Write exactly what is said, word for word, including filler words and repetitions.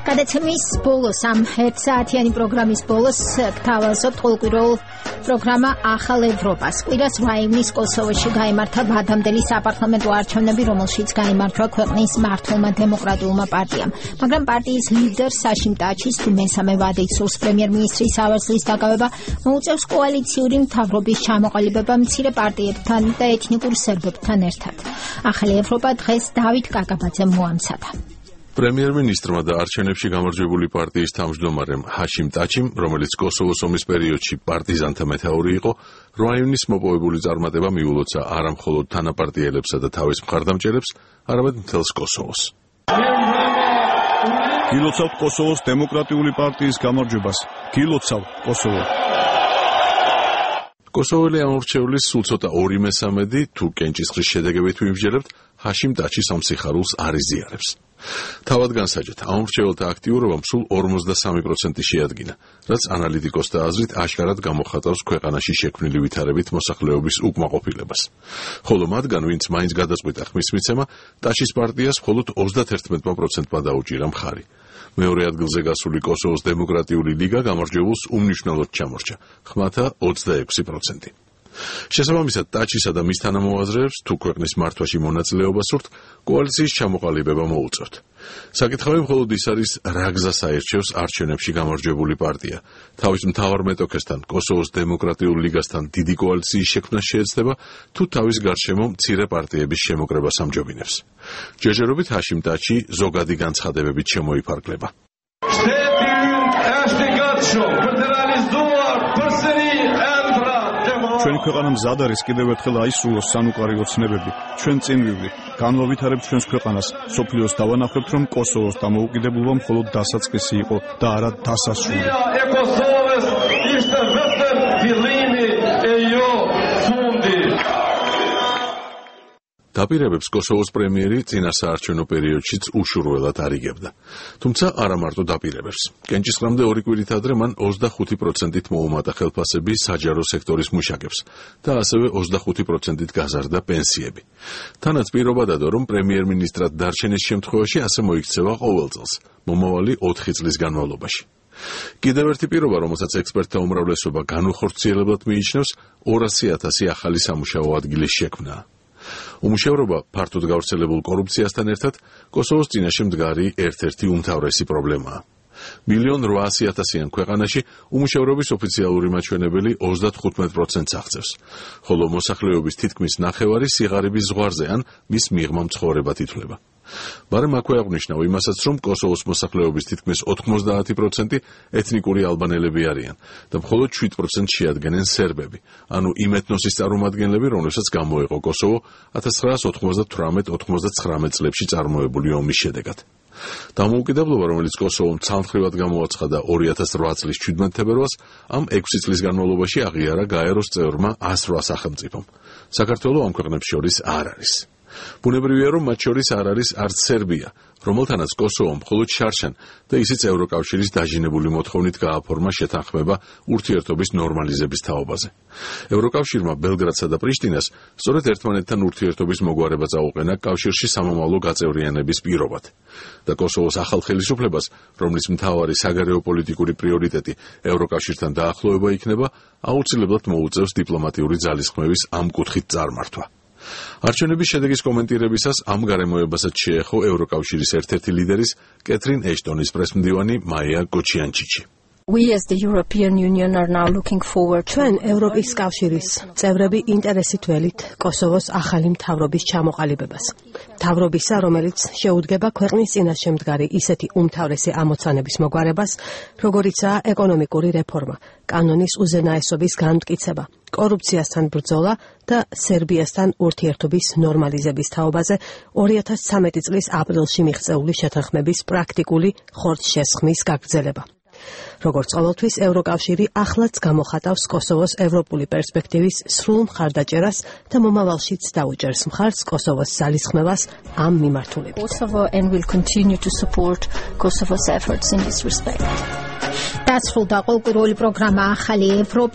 გადაცემის ბოლოს ამ ერთ საათიანი პროგრამის ბოლოს გთავაზობთ ყოველკვირეულ პროგრამა ახალ ევროპას. კვირას რაიმის კოსოვოში გაიმართა ადამდელი საპარლამენტო არჩევნები, რომელშიც გაიმარჯვა ქვეყნის მართლმა დემოკრატიულმა პარტიამ. მაგრამ პარტიის ლიდერ საშიმ ტაჩის თუ მესამე ვადით სურს პრემიერ-მინისტრის ავერსლის დაკავება, მოუწევს კოალიციური მთავრობის ჩამოყალიბება მცირე პარტიებთან და ეთნიკურ სერბებთან ერთად. ახალი ევროპა დღეს დავით კაკაბაძემ მოამცადა. პრემიერ-მინისტრმა და არჩევნებში გამარჯვებული პარტიის თავმჯდომარემ ჰაშიმ ტაჩიმ, რომელიც კოსოვოს ომის პერიოდში პარტიზანთა მეთაური იყო, რაიონის მოპოვებული წარმატება მიულოცა არა მხოლოდ თანაპარტიელებსა და თავის მხარდამჭერებს, არამედ მთელს კოსოვოს. გილოცავთ კოსოვოს დემოკრატიული პარტიის გამარჯვებას. გილოცავ კოსოვო. კოსოველი ამორჩევლის სულ ცოტა ორი მესამედი თუ კენჭისყრის შედეგებით ვიმსჯელებთ, ჰაშიმ ტაჩის ამ სიხარულს არ იზიარებს. თავად განსაჯეთ, ამორჩეველთა აქტიურობამ სულ ორმოცდასამი პროცენტი შეადგინა, რაც ანალიტიკოსთა აზრით აშკარად გამოხატავს ქვეყანაში შექმნილი ვითარებით მოსახლეობის უკმაყოფილებას. ხოლო მათგან, ვინც მაინც გადაწყვიტა ხმის მიცემა, ტაჩის პარტიას მხოლოდ ოცდაათერთმეტ პროცენტმა დაუჭირა მხარი. მეორე ადგილზე გასული კოსოვოს დემოკრატიული ლიგა გამარჯვებულს უმნიშვნელოდ ჩამორჩა, ხმათა ოცდაექვსი პროცენტი. შესაბამისად, ტაჩისა და მის თანამოაზრეებს თუ ქვეყნის მართვაში მონაწილეობა სურთ, კოალიციის ჩამოყალიბება მოუწევთ. საკითხავი მხოლოდ ის არის, რა გზას აირჩევს არჩევნებში გამარჯვებული პარტია. თავის მთავარ მეტოქესთან, კოსოვოს დემოკრატიულ ლიგასთან დიდი კოალიციის შექმნა შეეცდება, თუ თავის გარშემო მცირე პარტიების შემოკრებას ამჯობინებს. ჯერჯერობით ჰაშიმ ტაჩი ზოგადი განცხადებებით შემოიფარგლება. ჩვენი ქვეყანა მზად არის კიდევ ერთხელ აისრულოს სანუყარი ოცნებები. ჩვენ წინ ვივდით, განვავითარებთ ჩვენს ქვეყანას, სოფლიოს დავანახებთ, რომ კოსოვოს დამოუკიდებლობა მხოლოდ დასაწყისი იყო და არა დასასრული. დაპირებებს კოსოვოს პრემიერი წინა საარჩევნო პერიოდშიც უშურველად არიგებდა. თუმცა არა მარტო დაპირებებს. კენჭისყრამდე ორი კვირით ადრე მან ოცდახუთი პროცენტით მოუმატა ხელფასები საჯარო სექტორის მუშაკებს და ასევე ოცდახუთი პროცენტით გაზარდა პენსიები. თანაც პირობა დადო, რომ პრემიერ-მინისტრად დარჩენის შემთხვევაში ასე მოიქცევა ყოველ წელს, მომავალი ოთხი წლის განმავლობაში. კიდევ ერთი პირობა, რომელსაც ექსპერტთა უმრავლესობა განუხორციელებლად მიიჩნევს, ორასი ათასი ახალი სამუშაო ადგილის შექმნაა. უმუშევრობა ფართოდ გავრცელებულ კორუფციასთან ერთად კოსოვოს წინაშე მდგარი ერთ-ერთი უმთავრესი პრობლემაა. მილიონ რვაასი ათასიან ქვეყანაში უმუშევრობის ოფიციალური მაჩვენებელი ოცდათხუთმეტ პროცენტს აღწევს, ხოლო მოსახლეობის თითქმის ნახევარი სიღარიბის ზღვარზე ან მის მიღმა მცხოვრებად ითვლება. მაგრამ აქვე აღნიშნავ იმასაც, რომ კოსოვოს მოსახლეობის თითქმის ოთხმოცდაათი პროცენტი ეთნიკური ალბანელები არიან და მხოლოდ შვიდ პროცენტს შეადგენენ სერბები, ანუ იმ ეთნოსის წარმომადგენლები, რომლებსაც გამოეყო კოსოვო ათას ცხრაასი ოცდათვრამეტ ოცდათვრამეტ წლებში წარმოებული ომის შედეგად. დამოუკიდებლობა, რომელიც კოსოვომ ცალმხრივად გამოაცხადა ორი ათას რვა წლის ჩვიდმეტ თებერვალს, ამ ექვსი წლის განმავლობაში აღიარა გაეროს წევრმა ას რვა სახელმწიფომ. საქართველო ამ ქვეყნებს შორის არ არის. ბუნებრივია, რომ მათ შორის არ არის არც სერბია, რომელთანაც კოსოვომ მხოლოდ შარშან და ისიც ევროკავშირის დაჟინებული მოთხოვნით გააფორმა შეთანხმება ურთიერთობის ნორმალიზების თაობაზე. ევროკავშირმა ბელგრადსა და პრიშტინას სწორედ ერთმანეთთან ურთიერთობის მოგვარება წაუყენა კავშირში სამომავლო გაწევრიანების პირობად. და კოსოვოს ახალ ხელისუფლებას, რომლის მთავარი საგარეო პოლიტიკური პრიორიტეტი ევროკავშირთან დაახლოება იქნება, აუცილებლად მოუწევს დიპლომატიური ძალისხმევის ამ კუთხით წარმართვა. არჩევნების შედეგის კომენტირებისას ამ გარემოებასაც შეეხო ევროკავშირის ერთ-ერთი ლიდერის კეთრინ ეშტონის პრესმდივანი მაია გოჩიანჩიჩი. We as the European Union are now looking forward. ჩვენ ევროპის კავშირის წევრები ინტერესით ველით კოსოვოს ახალი მთავრობის ჩამოყალიბებას. მთავრობისა, რომელიც შეუდგება ქვეყნის წინაშე მდგარი ისეთი უმთავრესი ამოცანების მოგვარებას, როგორიცაა ეკონომიკური რეფორმა, კანონის უზენაესობის განმტკიცება, კორუფციასთან ბრძოლა და სერბიასთან ურთიერთობის ნორმალიზების თაობაზე ორი ათას ცხრამეტი წლის აპრილში მიღწეული შეთანხმების პრაქტიკული ხორცშესხმის გაგრძელება. როგორც ყოველთვის, ევროკავშირი ახლაც გამოხატავს კოსოვოს ევროპული პერსპექტივის სრულ მხარდაჭერას და მომავალშიც დაუჭერს მხარს კოსოვოს ძალისხმევას ამ მიმართულებით. Kosovo and will continue to support Kosovo's efforts in this respect. დასრულდა ყოველკვირეული პროგრამა ახალი ევროპა.